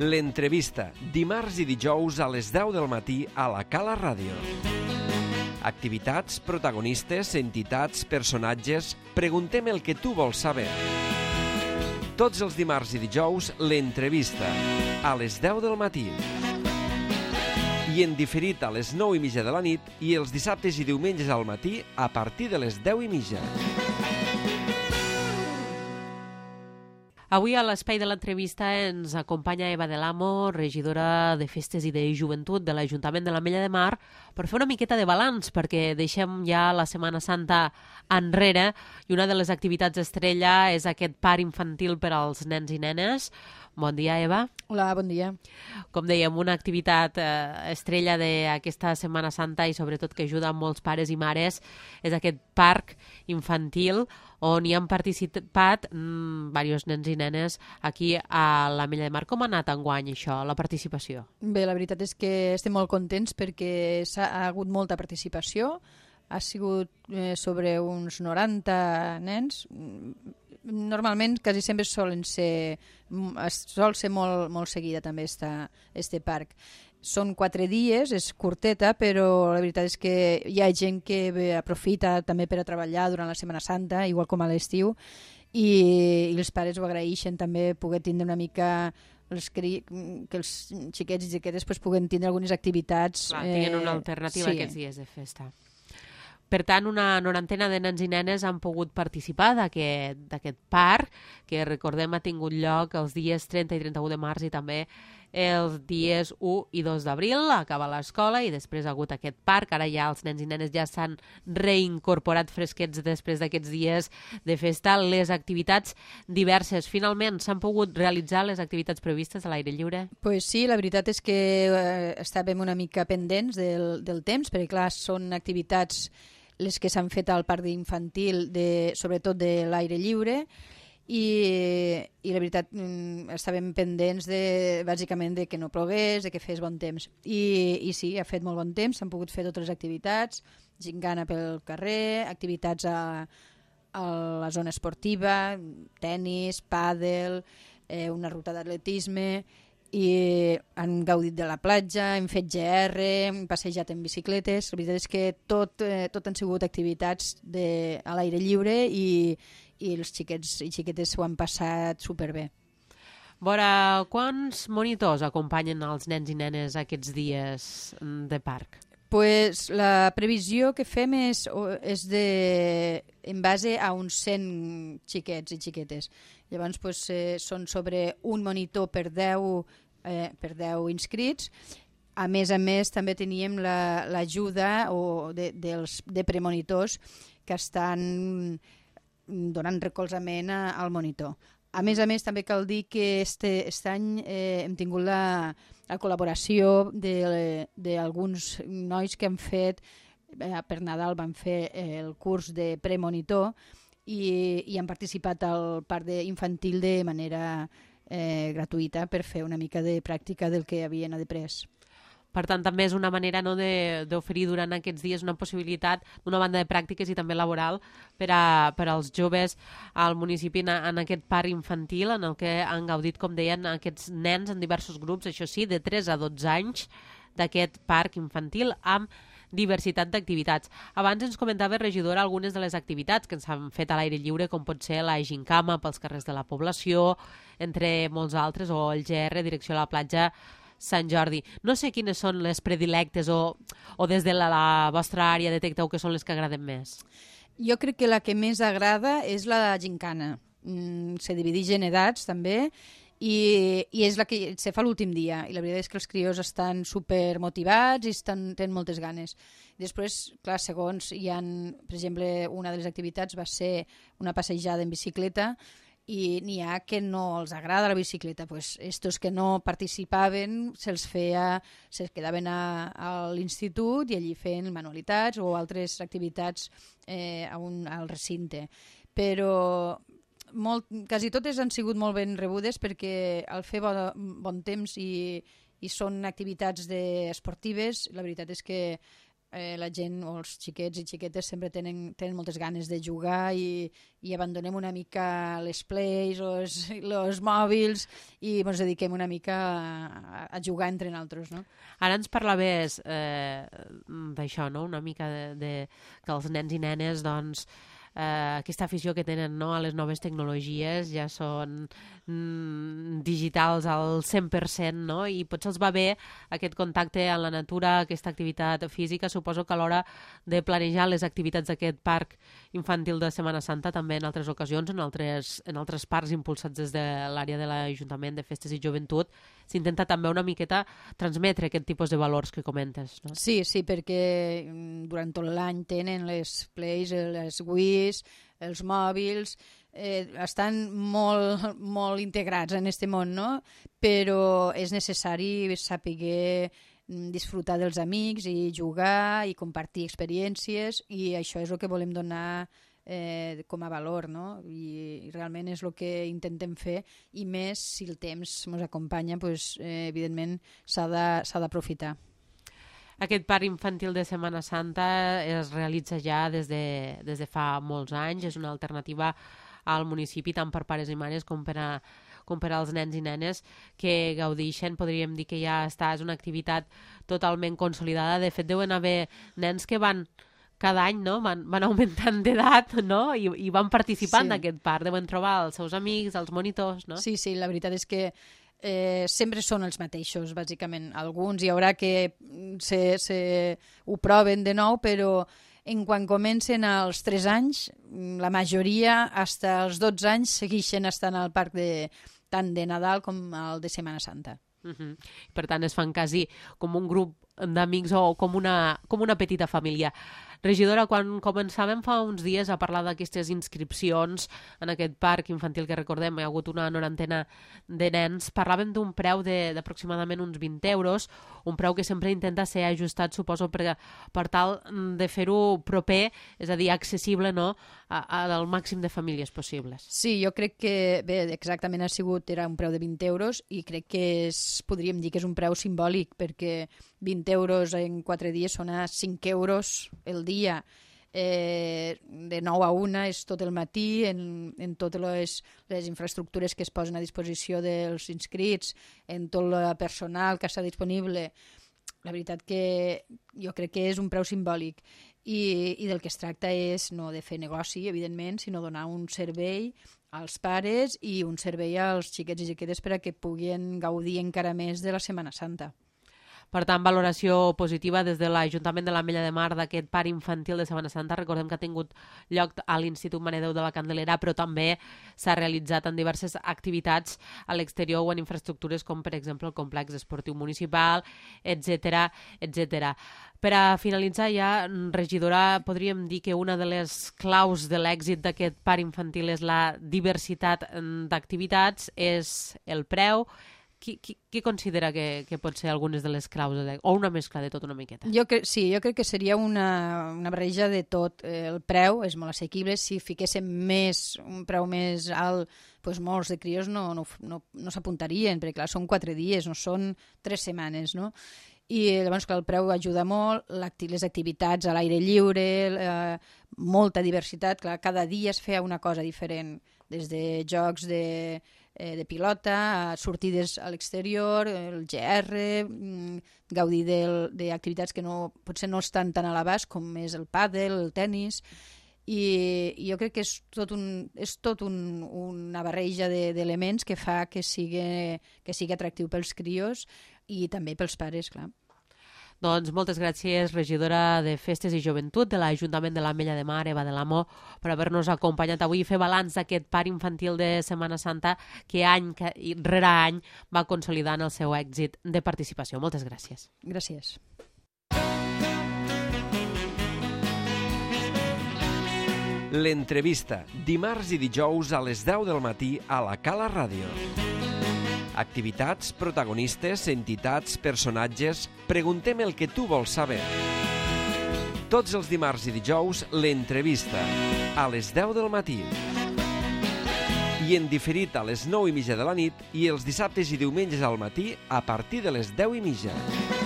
L'entrevista, dimarts i dijous a les 10 del matí a la Cala Ràdio. Activitats, protagonistes, entitats, personatges... Preguntem el que tu vols saber. Tots els dimarts i dijous, l'entrevista, a les 10 del matí. I en diferit a les 9:30 de la nit i els dissabtes i diumenges al matí a partir de les 10:30. Avui a l'espai de l'entrevista ens acompanya Eva del Amo, regidora de Festes i de Joventut de l'Ajuntament de l'Ametlla de Mar, per fer una miqueta de balanç, perquè deixem ja la Setmana Santa enrere i una de les activitats estrella és aquest parc infantil per als nens i nenes. Bon dia, Eva. Hola, bon dia. Com dèiem, una activitat estrella d'aquesta Setmana Santa i sobretot que ajuda molts pares i mares és aquest parc infantil on hi han participat diversos nens i nenes aquí a l'Ametlla de Mar. Com ha anat enguany això, la participació? Bé, la veritat és que estem molt contents perquè ha hagut molta participació. Ha sigut sobre uns 90 nens. Normalment quasi sempre sol ser molt seguida també este parc. Són 4 dies, és curteta, però la veritat és que hi ha gent que aprofita també per a treballar durant la Setmana Santa, igual com a l'estiu, i els pares ho agraeixen també poder tindre una mica que els xiquets i xiquetes puguen tindre algunes activitats. Clar, tinguin una alternativa aquests dies de festa. Per tant, una 90 de nens i nenes han pogut participar d'aquest parc, que recordem ha tingut lloc els dies 30 i 31 de març i també els dies 1 i 2 d'abril, acaba l'escola i després ha hagut aquest parc. Ara ja els nens i nenes ja s'han reincorporat fresquets després d'aquests dies de festa. Les activitats diverses. Finalment, s'han pogut realitzar les activitats previstes a l'aire lliure? Pues sí, la veritat és que estàvem una mica pendents del temps, perquè clar, són activitats les que s'han fet al parc infantil, sobretot de l'aire lliure, i la veritat estàvem pendents bàsicament de que no plogués, de que fes bon temps. I sí, ha fet molt bon temps, s'han pogut fer totes les activitats, gingana pel carrer, activitats a la zona esportiva, tennis, pàdel, una ruta d'atletisme, i han gaudit de la platja, hem fet GR, hem passejat en bicicletes. La veritat és que tot han sigut activitats a l'aire lliure i els xiquets i xiquetes s'ho han passat superbé. Vora, quants monitors acompanyen els nens i nenes aquests dies de parc? Pues la previsió que fem és en base a uns 100 xiquets i xiquetes. Llavors són sobre un monitor per 10 inscrits. A més, també teníem l'ajuda de premonitors que estan donant recolzament al monitor. A més, també cal dir que aquest any hem tingut la col·laboració d'alguns nois que han fet, per Nadal van fer el curs de premonitor i han participat al parc infantil de manera gratuïta per fer una mica de pràctica del que havien après. Per tant, també és una manera d'oferir durant aquests dies una possibilitat d'una banda de pràctiques i també laboral per als joves al municipi en aquest parc infantil en el que han gaudit, com deien, aquests nens en diversos grups, això sí, de 3 a 12 anys d'aquest parc infantil amb diversitat d'activitats. Abans ens comentava, regidora, algunes de les activitats que ens han fet a l'aire lliure, com pot ser la gincama pels carrers de la població, entre molts altres, o el GR, direcció a la platja Sant Jordi. No sé quines són les predilectes o des de la vostra àrea detecteu que són les que agraden més. Jo crec que la que més agrada és la gincana. Se divideix en edats també i és la que se fa l'últim dia. I la veritat és que els crios estan supermotivats i tenen moltes ganes. Després, clar, segons hi ha, per exemple, una de les activitats va ser una passejada en bicicleta i n'hi ha que no els agrada la bicicleta, doncs estos que no participaven se'ls quedaven a l'institut i allí feien manualitats o altres activitats al recinte. Però quasi totes han sigut molt ben rebudes perquè al fer bon temps i són activitats esportives, la veritat és que la gent o els xiquets i xiquetes sempre tenen moltes ganes de jugar i abandonem una mica les plays o els mòbils i ens dediquem una mica a jugar entre nosaltres, no? Ara ens parlaves d'això, no? Una mica que els nens i nenes, doncs, aquesta afició que tenen, no, a les noves tecnologies ja són digitals al 100%, no? I potser els va bé aquest contacte amb la natura, aquesta activitat física. Suposo que a l'hora de planejar les activitats d'aquest parc infantil de Setmana Santa, també en altres ocasions, en altres parcs impulsats des de l'àrea de l'Ajuntament de Festes i Joventut, s'intenta també una miqueta transmetre aquest tipus de valors que comentes, no? Sí, perquè durant tot l'any tenen les plays, les Wiis, els mòbils, estan molt integrats en aquest món, no? Però és necessari saber disfrutar dels amics i jugar i compartir experiències, i això és el que volem donar com a valor, no? I realment és el que intentem fer, i més si el temps ens acompanya, doncs, evidentment s'ha d'aprofitar. Aquest parc infantil de Setmana Santa es realitza ja des de fa molts anys, és una alternativa al municipi tant per pares i mares com per als nens i nenes que gaudeixen. Podríem dir que ja és una activitat totalment consolidada. De fet, deuen haver nens que van cada any, no? Van augmentant d'edat, no? I van participant d'aquest parc. Deuen trobar els seus amics, els monitors, no? Sí, la veritat és que sempre són els mateixos, bàsicament. Alguns hi haurà que ho proven de nou, però quan comencen als 3 anys, la majoria, fins als 12 anys, segueixen estant al parc tant de Nadal com el de Setmana Santa. Per tant, es fan quasi com un grup d'amics o com una petita família. Regidora, quan començàvem fa uns dies a parlar d'aquestes inscripcions en aquest parc infantil que recordem, hi ha hagut una 90 de nens, parlàvem d'un preu d'aproximadament uns 20 euros, un preu que sempre intenta ser ajustat, suposo, per tal de fer-ho proper, és a dir, accessible, no?, al màxim de famílies possibles. Sí, jo crec que, bé, exactament era un preu de 20 euros i crec que podríem dir que és un preu simbòlic, perquè 20 euros en 4 dies són a 5 euros el dia. De 9 a 1 és tot el matí, en totes les infraestructures que es posen a disposició dels inscrits, en tot el personal que està disponible. La veritat que jo crec que és un preu simbòlic i del que es tracta és no de fer negoci, evidentment, sinó donar un servei als pares i un servei als xiquets i xiquetes per a que puguin gaudir encara més de la Setmana Santa. Per tant, valoració positiva des de l'Ajuntament de l'Ametlla de Mar d'aquest parc infantil de Setmana Santa. Recordem que ha tingut lloc a l'Institut Mare Déu de la Candelera, però també s'ha realitzat en diverses activitats a l'exterior o en infraestructures com, per exemple, el complex esportiu municipal, etc. Per a finalitzar ja, regidora, podríem dir que una de les claus de l'èxit d'aquest parc infantil és la diversitat d'activitats, és el preu. Què considera que pot ser algunes de les claus o una mescla de tot una miqueta? Jo crec que seria una barreja de tot. El preu és molt assequible. Si fiquéssim un preu més alt, doncs molts de crios no s'apuntarien, perquè clar, són 4 dies, no són 3 setmanes, no? I llavors, clar, el preu ajuda molt, les activitats a l'aire lliure, molta diversitat, clar, cada dia es feia una cosa diferent, des de jocs de pilota, sortides a l'exterior, el GR, gaudir d'activitats que potser no estan tan a l'abast com és el pàdel, el tennis, i jo crec que és tot una barreja d'elements que fa que sigui atractiu pels crios i també pels pares, clar. Doncs moltes gràcies, regidora de Festes i Joventut de l'Ajuntament de l'Ametlla de Mar, Eva de l'Amo, per haver-nos acompanyat avui i fer balanç d'aquest parc infantil de Setmana Santa que any rere any va consolidant el seu èxit de participació. Moltes gràcies. Gràcies. L'entrevista, dimarts i dijous a les 10 del matí a la Cala Ràdio. Activitats, protagonistes, entitats, personatges... Preguntem el que tu vols saber. Tots els dimarts i dijous, l'entrevista, a les 10 del matí. I en diferit a les 9:30 de la nit i els dissabtes i diumenges al matí a partir de les 10:30.